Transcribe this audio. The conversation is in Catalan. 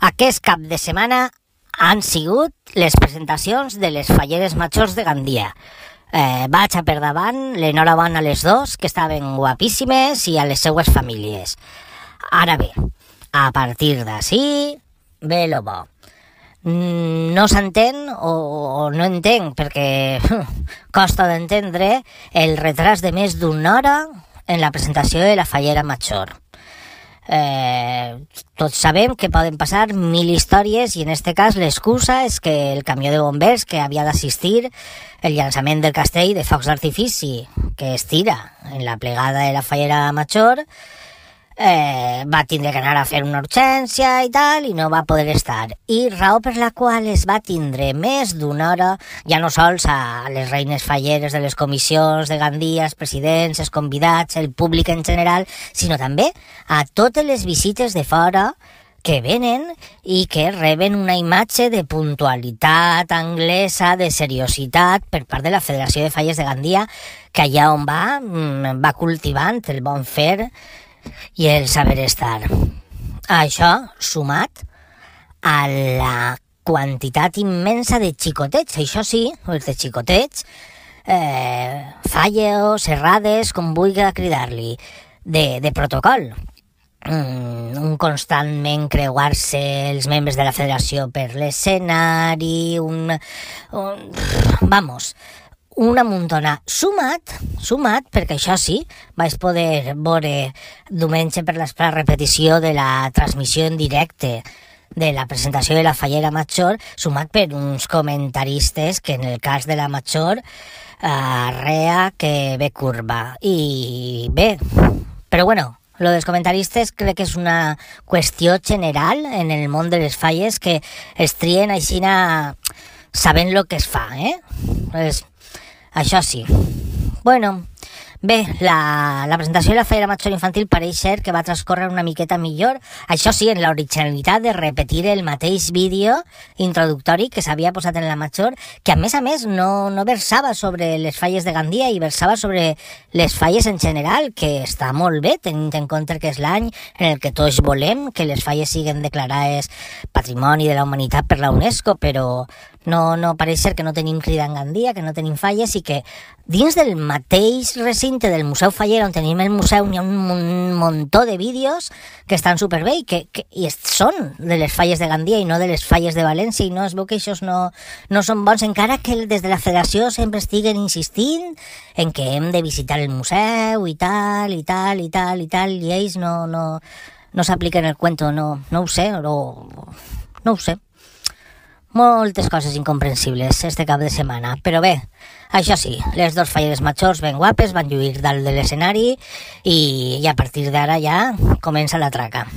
Aquest cap de setmana han sigut les presentacions de les falleres majors de Gandia. Vaig a per davant l'enhorabona a les dos, que estaven guapíssimes, i a les seues famílies. Ara bé, a partir d'ací, ve lo bo. No s'entén o no entenc, perquè costa d'entendre el retras de més d'una hora en la presentació de la fallera major. Tots sabem que poden passar 1000 històries i en este cas l'excusa és que el camió de bombers que havia d'assistir el llançament del castell de focs d'artifici que es tira en la plegada de la fallera major va tindre que anar a fer una urgència i tal, i no va poder estar. I raó per la qual es va tindre més d'una hora, ja no sols a les reines falleres de les comissions de Gandia, els presidents, els convidats, el públic en general, sinó també a totes les visites de fora que venen i que reben una imatge de puntualitat anglesa, de seriositat per part de la Federació de Falles de Gandia, que allà on va cultivant el bon fer i el saber estar. Això sumat a la quantitat immensa de xicotets, això sí, els de xicotets, falles, errades, com vulgui cridar-li, de protocol. Un constantment creuar-se els membres de la federació per l'escenari, una muntona. Sumat, perquè això sí, vaig poder veure diumenge per la repetició de la transmissió en directe de la presentació de la fallera major, sumat per uns comentaristes que en el cas de la major arrea que ve curva. I bé, però bueno, lo dels comentaristes crec que és una qüestió general en el món de les falles, que es trien aixina sabent lo que es fa, Pues, això sí. Bueno, bé, la presentació de la fallera major infantil pareix ser que va transcórrer una miqueta millor. Això sí, en l'originalitat de repetir el mateix vídeo introductori que s'havia posat en la major, que a més no versava sobre les falles de Gandia i versava sobre les falles en general, que està molt bé, tenint en compte que és l'any en el que tots volem que les falles siguen declarades Patrimoni de la Humanitat per la UNESCO, però no pareix ser que no tenim crida en Gandia, que no tenim falles, i que dins del mateix recinte del Museu Fallera, on tenim el museu, hi ha un muntó de vídeos que estan superbé i són de les falles de Gandia i no de les falles de València, i no es veu que això no són bons, encara que des de la federació sempre estiguen insistint en que hem de visitar el museu i tal, i ells no s'apliquen el cuento, no ho sé. Moltes coses incomprensibles este cap de setmana, però bé, això sí, les dos falleres majors ben guapes van lluir dalt de l'escenari i a partir d'ara ja comença la traca.